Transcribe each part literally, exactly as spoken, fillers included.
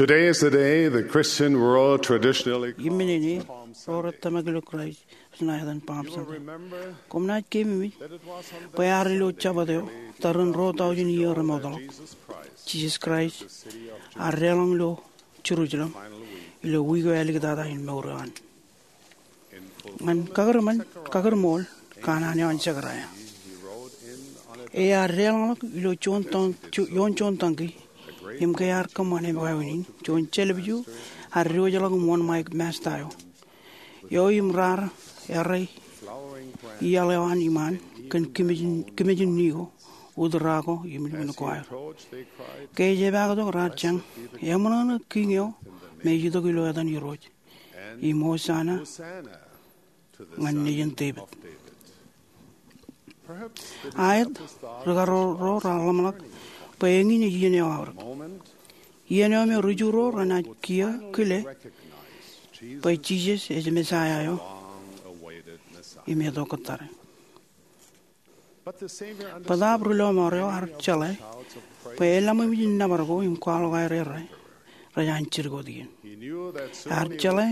Today is the day the Christian world traditionally calls Iminene, Palm Sunday. Ro rej tōmak ilo Kraist rej etan Palm Sunday. Koṃ naaj keememej bwe ear ilo Jabōt eo, tarrin ruo taujin iiō remootḷọk, Jisōs Kraist ear deḷọñ ilo Jerusalem ilo wiik eo āliktata in mour eo an. Ñan kakūrṃool, kakūrṃool kanaan eo an Sekaraia. Ear deḷọñḷọk ilo juon tōñ, ju-, ioon juon tōñki, im ke ear kōṃṃane wāween in, juon jelōpju ear diwōjḷọk im wōnṃaik Masta eo. Eo im raar errā iaḷ eo an iṃaan kōn kimejin, kimejin ni ko, utra ko, im lukkuun ko aer. Ke ej epaaktok raar jañ, eṃōṇōṇō Kiiñ eo me ej itok ilo etan Irooj. Im Hosana ñan nejin Devid. Aet, ri-karuo ro raar ḷōmṇak bwe eñin ej iien eo aorōk. Iien eo me ri-Ju ro renaaj kiiō kile bwe Jisōs ej Mesaia eo im eto kōttare. Bōtaab ri-lọmọọr eo ear jeḷā bwe eḷaṃōmjin nōbar ko im kwaḷọk aer errā rej an jidik wōt iien. Ear jeḷā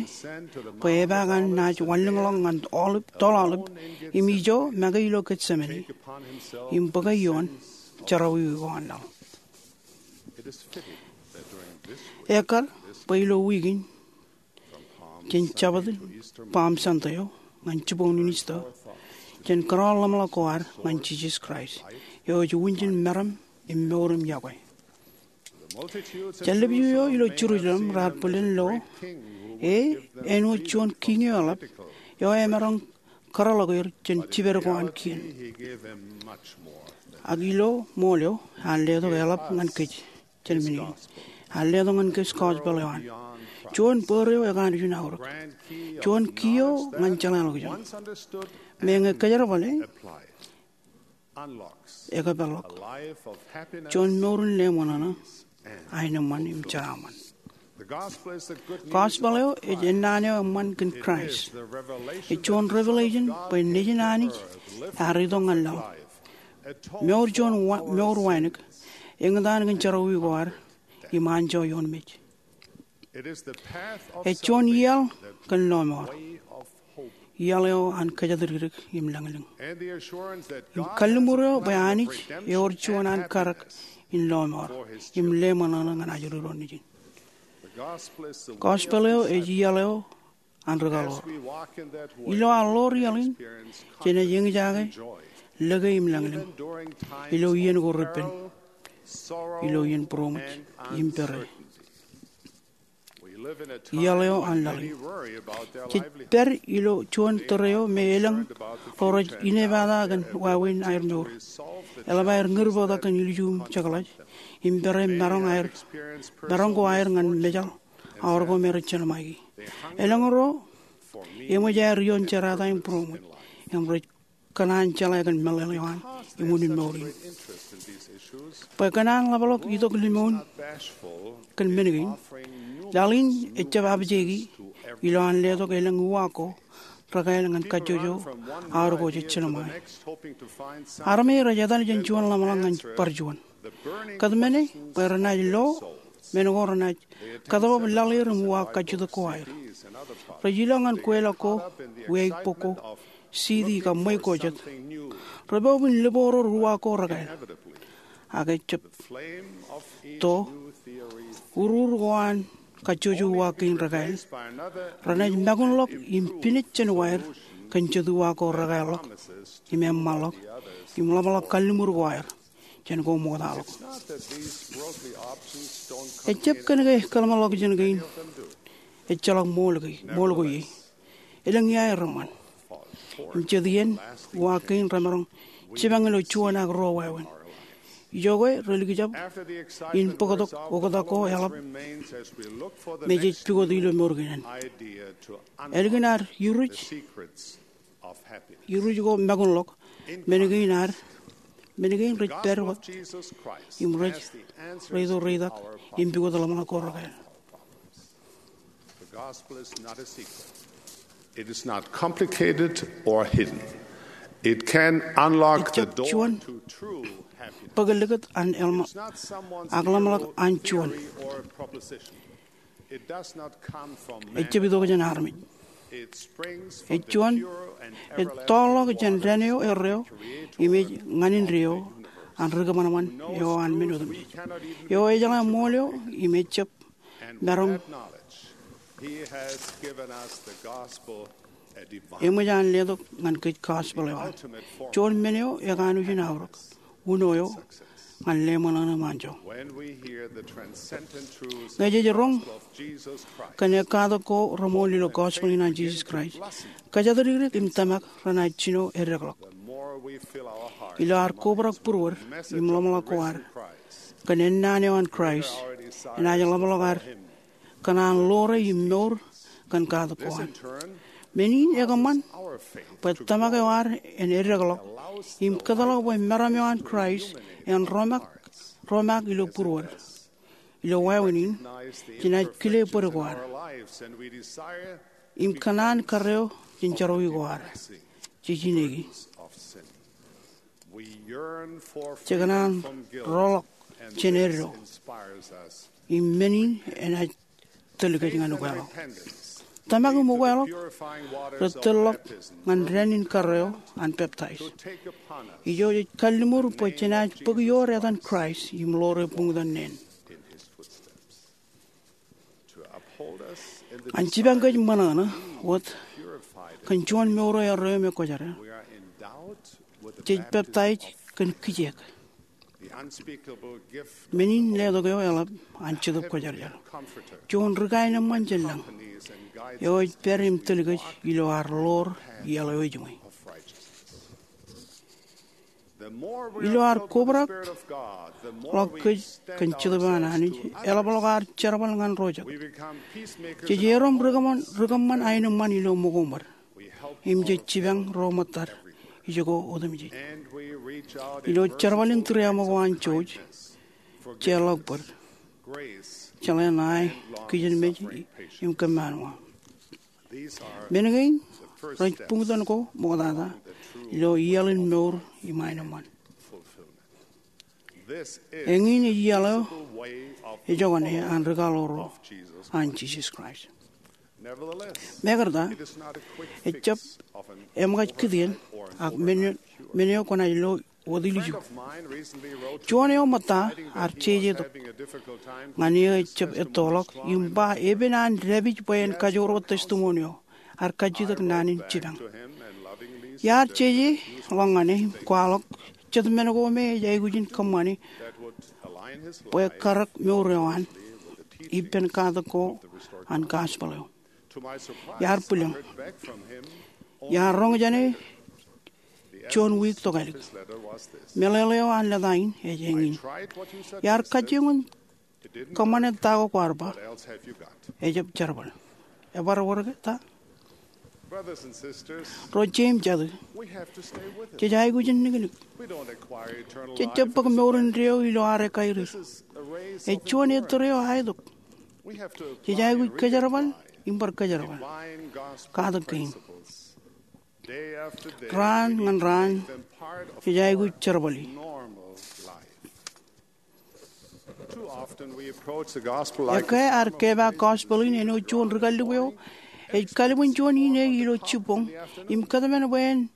bwe epaak an naaj wanlōñḷọk ñan aolep, toḷ aolep, im ijo make ilo Getsemane, im bōke ioon jerọwiwi ko an laḷ. Ekkar bwe ilo wiik in, jān Jabōt Palm Sunday eo ñan jiboñ in Easter, jen kōrọọl ḷōmṇak ko ad ñan Jisōs Kraist, eo ej wūnjin meram im mour im iọkwe. Jelōpju eo ilo Jerusalem raar bōlen lo, e, āinwōt juon kiiñ eo eḷap, eo emaroñ kōrọọlḷọk er jān jiped ko an kien. Ak ilo ṃool eo, ear letok eḷap ñan kōj jān men in. Ear letok ñan kōj gospel eo an. Juon bōd eo ekanooj in aorōk. Juon kiiō ñan jeḷāḷọkjeṇ. Meñe kōjerbale, ekōpeḷḷọk juon mour in leṃōṇōṇō, aenōṃṃan im jeraaṃṃan. Gospel eo ej ennaan eo eṃṃan kōn Kraist. Ej juon revelation bwe Nejin Anij ear itok ñan laḷ. Mour juon wa-, mour wānōk, eñtaan kōn jerọwiwi ko ad, im anjọ ioon mej. Ej juon iaḷ kōn lọmọọr. Iaḷ eo an kōjatdikdik im lañlōñ. Im kalliṃur eo bwe Anij ewōr juon an karōk in lọmọọr im leṃōṇōṇō ñan ajri ro nejin. Gospel eo ej iaḷ eo an ri-kaḷoor. Ilo ad ḷoor iaḷ in, jenaaj eñjake lōke im lañlōñ ilo iien ko repen, ilo iien būroṃōj im pere. Iaḷ eo an laḷ in. Jej pād ilo juon tōre eo me elōñ ro rej inepata kōn wāween aer mour. Eḷap aer ñūr bōktok kōn ilju im jekḷaj, im pere maroñ aer, maroñ ko aer ñan mejaḷ aor ko me rej jelṃaiki. Elōñ ro eṃōj aer ioon jerata im būroṃōj, im rej kōṇaan jeḷā kōn meḷeḷe eo an im unin mour in. Bwe kōṇaan ḷapḷọk itok limoun kōn men kein, laḷ in ejjab apjeiki ilo an letok elōñ uwaak ko rekāāl ñan kajjojo aor ko jej jelṃae. Armej rej etal jān juon ḷōmṇak ñan bar juon. Kōtmāne bwe renaaj lo men ko renaaj kōtbōb laḷ er im uwaak kajjitōk ko aer. Rej ilọk ñan kweilọk ko, wiaikbok ko, city kab ṃweiuk ko jet. Rej bōb in libooror uwaak ko rekāāl. Ak ejjab to, urur ko an kajjojo uwaak kein rekāāl, renaaj makunḷọk im pinej jān wa er kōn jet uwaak ko rekāālḷọk, im eṃṃanḷọk, im ḷapḷọk kalliṃur ko aer jān ko ṃoktaḷọk. Ejjab kōn ke kōḷmānḷọkjeṇ kein ejjeḷọk ṃool ke, ṃool ko ie. Elōñ ia ereṃṃan. Im jet iien, uwaak kein remaroñ jipañ ilo juon ak ruo wāween. Ijoke relikjab in bōktok oktak ko eḷap me jej pukot ilo mour kein. Ālikin ad iruj, iruj ko makunḷọk, men kein ad, men kein rej pād wōt, im rej, rej itok reitak im pukot ḷōmṇak ko rekāāl. The gospel is not a secret. It is not complicated or hidden. It can unlock the door to true happiness. Ejjab juon bōk likūt an eḷap, ak ḷōmṇak an juon. It's not someone's new theory or proposition. Ejjab itok jān armej. Ej juon, ej tọọrḷọk jān dān eo erreo im ej ñan indeeo an ri kōṃanṃan eo an men otemjej, eo ejeḷā ṃool eo im ejjab maroñ eṃōj an letok ñan kōj gospel eo an. Juon men eo ekanooj in aorōk, uno eo ñan leṃōṇōṇō im anjọ. Ñe jej roñ kōn ekkatak ko reṃool ilo gospel in an Jisōs Kraist, kōjatdikdik im tōmak renaaj jino eddekḷọk. Ilo ad kobrak būruod im ḷōmṇak ko ad kōn ennaan eo an Kraist, enaaj ḷapḷọk ad kōṇaan ḷoore im mour kōn katak ko an. Men in ekōṃṃan bwe tōmak eo ad en eddekḷọk im kōtḷọk bwe meram eo an Kraist en romak, romak ilo būruod. Ilo wāween in, jenaaj kile bōd ko ad im kōṇaan karreo jān jerọwiwi ko ad. Jej ineki, jekōṇaan roḷọk jān eddo im men in enaaj tōl kōj ñan ukeḷọk. Tōmak im ukeḷọk rej tōl ḷọk ñan dān in karreo an peptaij. Ijo jej kalliṃur bwe jenaaj bōk iood etan Kraist im ḷoore buñtōn neen. An jipañ kōj ṃōṇōṇō wōt kōn juon mour eo erreo im ekwōjarjar, jej peptaij kōn kijeek. Men in letok eo eḷap an Jetōb Kwōjarjar, juon ri kaenōṃṃan jān lañ eo ej pād im tōl kōj ilo ad ḷoor iaḷ eo ejiṃwe. Ilo ad kobrak ḷọk kōj kōn Jetōb eo an Anij, eḷapḷọk ad jerbal ñan roñjake. Jej erom ri kōṃṃan, ri kōṃṃan aenōṃṃan ilo ṃōko ṃōd im jej jipañ ro ṃōttad ijoko otemjej. Ilo jerbal in tūriaṃo ko an jouj, jeorḷọk bōd, jeḷā ṇae, kijenmej im kōmmaanwa. Men kein rej buñtōn ko ṃoktata ilo iaḷ in mour im aenōṃṃan. Eñin ej iaḷ eo ejokane an ri kaḷoor ro an Jisōs Kraist. Mekarta, ejjab eṃōkaj kitien ak men, men eo kwōnaaj lo wōt ilju. Juon eo ṃōtta ear jeje tok ñan eō ejjab ettoḷọk im ba epen an dāpij bwe en kajoor wōt testimony eo, ear kajjitōk naan in jipañ. Iar jeje ḷọk ñan e im kwaḷọk jet men ko me ej aikuj in kōṃṃani bwe karōk mour eo an ippān katak ko an gospel eo. Iar bwilōñ. Iar roñ jān e juon wiik tokālik. Meḷeḷe eo an lōta in ej eñin. Iar kajjioñ in kōṃṃane ta ko kwaar ba, ejjab jerbal. Ebar wōr ke ta? Ro jeiū im jatū, jej aikuj in niknik. Jejjab bōk mour indeeo ilo ad ekkairir. Ej juon ettōr eo aetok. Jej aikuj kōjerbal im bar kōjerbal katak kein. Raan ñan raan, jej aikuj jerbali. Ekkā ad kepaak gospel in āinwōt juon ri kallib eo ej kalbwin juon ine ilo jibboñ im kōtmān bwe en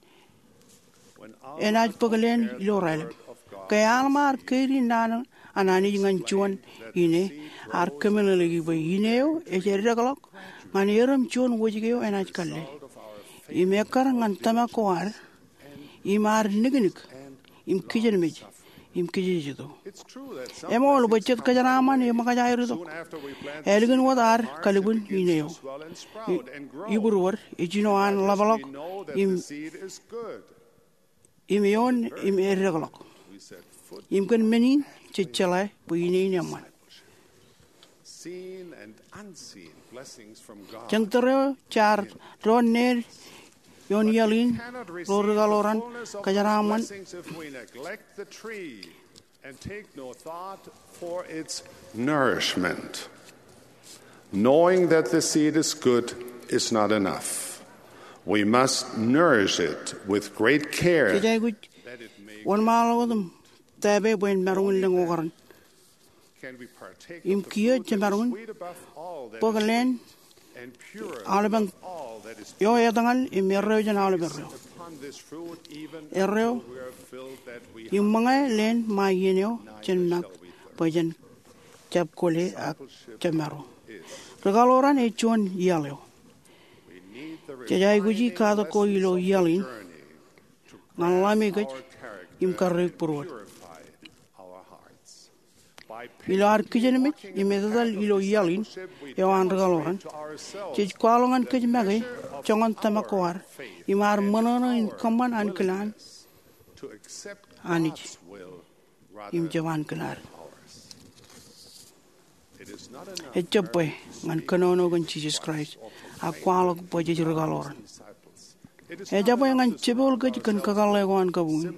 enaaj bōk leen ilo raelep. Ke Alma ear keidi naan an Anij ñan juon ine, ear kōmeḷeḷeiki bwe ine eo ej eddekḷọk ñan erom juon wōjke eo enaaj kalle im ekkar ñan tōmak ko ad im ad niknik im kijenmej im kijejeto. Eṃool bwe jet kōjeraaṃṃan eṃōkaj aer itok ālikin wōt ad kalbwin ine eo. I, ibūruod ej jino an ḷapḷọk im, im eoon im eddekḷọk. Im kōn men in jej jeḷā bwe ine in eṃṃan. Jān tōre eo jaar doon ned ioon iaḷ in ro ri kaḷoran kōjeraaṃṃan and take no thought for its nourishment. Knowing that the seed is good is not enough. We must nourish it with great care. Jej aikuj wōnṃaanḷọk wōt im tōpe bwe en maroñ in lōñ okaren. Im kiiō jemaroñ in bōk leen aolepen eo etñal im erreo jān aolepen reo. Erreo, im ṃōñā leen ṃae iien eo jān ṃōk bwe jen jab kwōle ak jemāro. Rūkaḷoran ej juon iaḷ eo. Jej aikuji katak ko ilo iaḷ in ñan ḷame kōj im karreoik būruod. Ilo ad kijenmej im etetal ilo iaḷ in eo an rūkaḷoran, jej kwaḷọk ñan kōj make joñan tōmak ko ad im ad ṃōṇōṇō in kōṃṃan ankilaan Anij im jab ankilaan. Ejjab bwe ñan kōnono kōn Jisōs Kraist ak kwaḷọk bwe jej rūkaḷoran. Ejabwe ñan jepel kōj kōn kakōḷḷe ko an kabuñ in.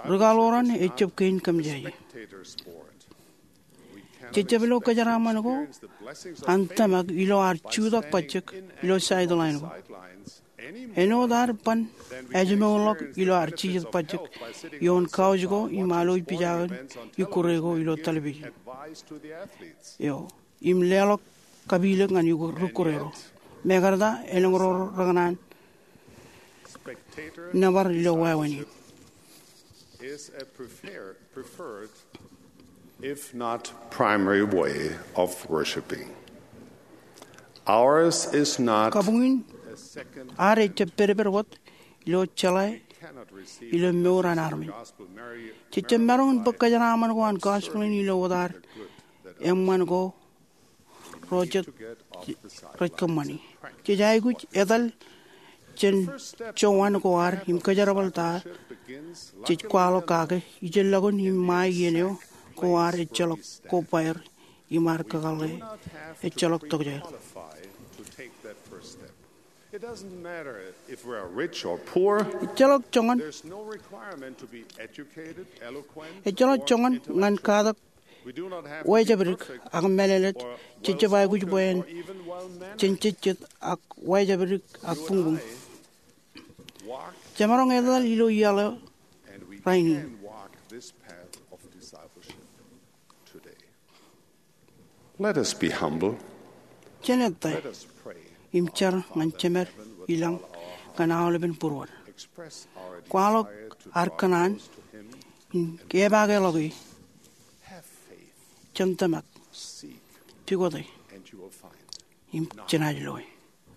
Rūkaḷoran ejjab kein kōmjāje. Jej jab lo kōjeraaṃṃan ko an tōmak ilo ad jutak bajjek ilo sideline ko. Āinwōt ad ban ājmourḷọk ilo ad jijet bajjek ioon couch ko im alwōj pija in ikkure ko ilo television eo im leḷọk kapilōk ñan ikkure ro. Mekarta elōñ ro rekōṇaan nōbar ilo wāween in. Is a prefer- preferred, if not primary, way of worshiping. Ours is not Kabuñ in ad ejjab pedped wōt ilo jeḷā ilo mour an armej. Jej jab maroñ in bōk kōjeraaṃṃan ko an gospel in ilo wōt ad eṃṃan ko ro jet rej kōṃṃani. Jej aikuj etal jān jowan ko ad im kōjerbal ta jej kwaḷọk kake ijellọkun im ṃae iien eo ko ad ejjeḷọk kobaer im ad kakōḷḷe ejjeḷọk tokjāer. It doesn't matter if we are rich or poor. Ejjeḷọk joñan There's no requirement to be educated, eloquent, ejjeḷọk or joñan intellectual. Ñan katak We do not have to be wāween perfect ak mālōtlōt. Or Jej jab aikuj bwe en well-spoken or even well-mannered. Jen jejjet ak wāween ak buñbuñ. You and I walk Jemaroñ etal ilo iaḷ eo and we rainin. Can walk this path of discipleship today. Let us be humble. Jen ettā Let us pray. Im jar ñan Jemed ilañ kōn aolepen būruod. Express our Kwaḷọk desire to ar draw kōṇaan close to Him. Im kepaakḷọk e. Have faith. Jen tōmak. Seek. Pukot e. And you will find. Im jenaaj lo e.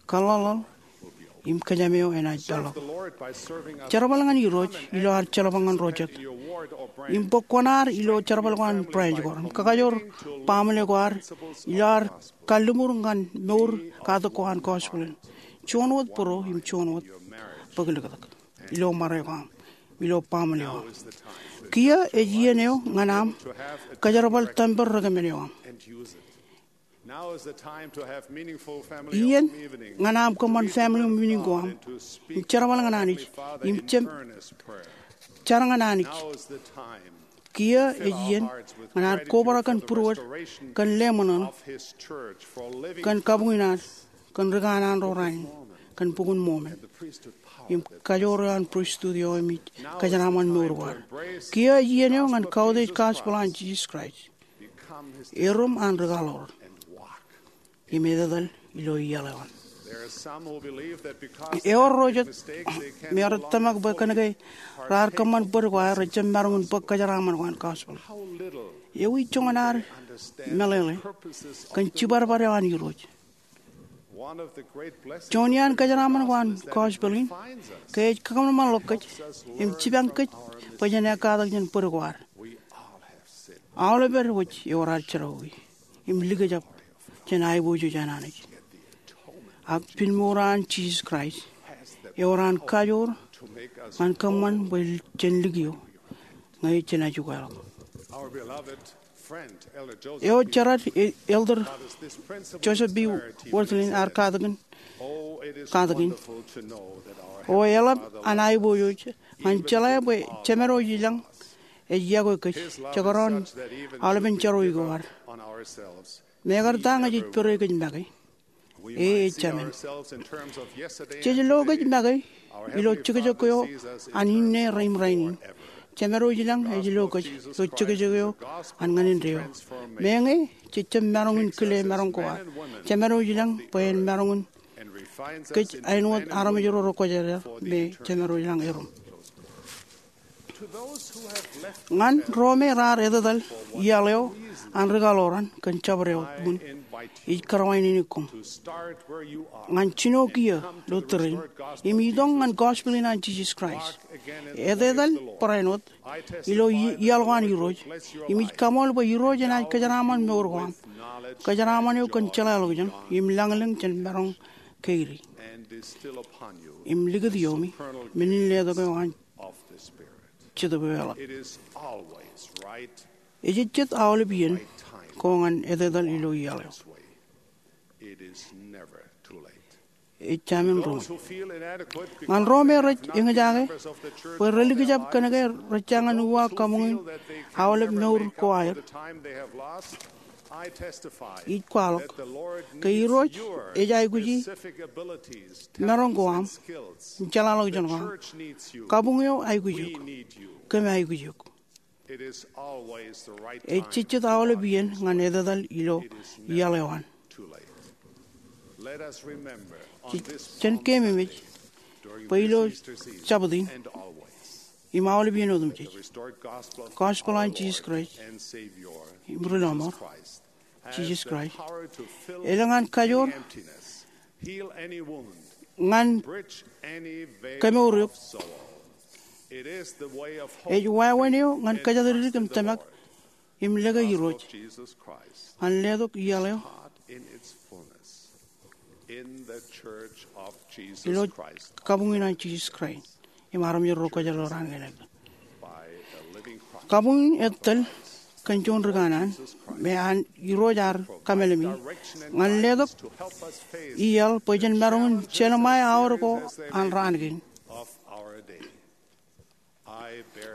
Kaḷḷaḷḷaḷ im kōjām eo enaaj peḷḷọk. Serve the Lord by serving others. Jerbal ñan Irooj ilo ad jeḷọk ñan ro jet. Come and act in your ward or branch. Im bōk kuṇaad ilo jerbal ko an branch ko im kakajoor baaṃle ko ad ilo ad kalliṃur ñan mour katak ko an gospel in. Juon wōt bōro im juon wōt bōklōktak ilo ṃare ko aṃ, ilo baaṃle eo aṃ. Kiiō ej iien eo ñan aṃ kōjerbal tempel recommend eo aṃ. Now is the time to have meaningful family Iien home evening. Ñan aṃ kōṃṃan family home evening ko aṃ. Im jerbal ñan Anij. Im jem jar ñan Anij. Now is the time. Kiiō ej iien ñan ad kobrak kōn būruod, kōn leṃōṇōṇō, kōn kabuñ in ad, kōn ri kanaan ro rainin, kōn Bok in Mormon, im kajoor eo an pristut eo im ej kōjeraaṃṃan mour ko ad. Kiiō ej iien eo ñan kautiej gospel an Jisōs Kraist. Erom an rūkaḷoran im etetal ilo iaḷ eo an. Eor ro jet me rej tōmak bwe kōnke raar kōṃṃan bōd ko aer rej jab maroñ in bōk kōjeraaṃṃan ko an gospel. Ewi joñan ad meḷeḷe kōn jibadbad eo an Irooj? Juon iaan kōjeraaṃṃan ko an gospel in, ke ej kakōṃanṃanḷọk kōj im jipañ kōj bwe jen ekkatak jān bōd ko ad. Aolepād wōj ewōr ad jerọwiwi im likjab jān aiboojoj an Anij. Ak pinmour an Jisōs Kraist ewōr an kajoor ñan kōṃṃan bwe jen likio ñe jenaaj ukeḷọk. Eo jerad, e, Elder Joseph B. Wirthlin ear katakin, katakin, O eḷap an aiboojoj ñan jeḷā bwe Jemād eo ilañ ej yokwe kōj, jekdọọn aolepen jerọwiwi ko ad. Mekarta ñe jej pere kōj make, e ej Jemād. Jej lo kōj make ilo jekjek eo an inne rein rainin. Jemedwōj ilañ ej lo kōj ilo jekjek eo an ñan indeeo. Meñe jej jab maroñ in kile maroñ ko ad, Jemedwōj ilañ bwe en maroñ in kōj āinwōt armej ro rekwōjarjar me Jemedwōj ilañ erom. Ñan ro me raar etetal iaḷ eo an ri kaḷoran kōn jabdewōt wōt, ij kōrā in itok koṃ ñan jino kiiō ilo tōre in im itok ñan gospel in an Jisōs Kraist. Etetal barāinwōt ilo i- iaḷ ko an Irooj, im ij kaṃool bwe Irooj enaaj kōjeraaṃṃan mour ko aṃ, kōjeraaṃṃan eo kōn jeḷāḷọkjeṇ im lañlōñ jān maroñ keidi, im likūt iomi men in letok eo an Jetōb eo eḷap. Ejejjet aolep iien ko ñan etetal ilo iaḷ eo. Ej jāmin ro ñan ro me rej eñjake bwe relikjab kōn ke rejjañin uwaak kabuñ in aolep mour ko aer. Ij kwaḷọk ke Irooj ej aikuji maroñ ko aṃ, jeḷāḷọkjeṇ ko aṃ. Kabuñ eo aikuj eok. Kōm aikuj eok. Ejejjet aolep iien ñan etetal ilo iaḷ eo an. Jen keememej bwe ilo Jabōt in im aolep iien otemjej, gospel an Jisōs Kraist im ri lọmọọr, Jisōs Kraist, elōñ an kajoor ñan kemour eok. Ej wāween eo ñan kōjatdikdik im tōmak im lōke Irooj ñan letok iaḷ eo ilo kabuñ in an Jisōs Kraist im armej ro rekwōjarjar an kōnke kabuñ in ej tōl kōn juon ri kanaan me an Irooj ear kameḷeḷe ñan letok iaḷ bwe jen maroñ in jelṃae aor ko an raan kein.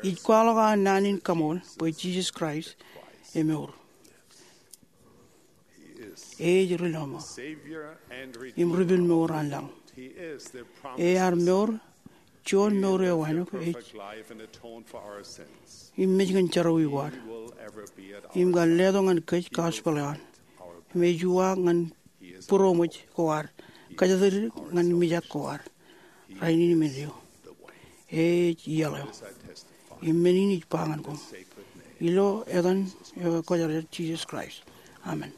Ij kwaḷọk aō naan in kaṃool bwe Jisōs Kraist emour. Ej ri lọmọọr im ri pād mour an laḷ. Ear mour juon mour eo āinwōt ej im mej kōn jerọwiwi ko ad im kar letok ñan kōj gospel eo an im ej uwaak ñan būroṃōj ko ad, kōjatdikdik ñan mijak ko ad rainin im indeeo. Ej iaḷ eo. Im men in ij ba ñan koṃ ilo etan eo ekwōjarjar Jisōs Kraist, amen.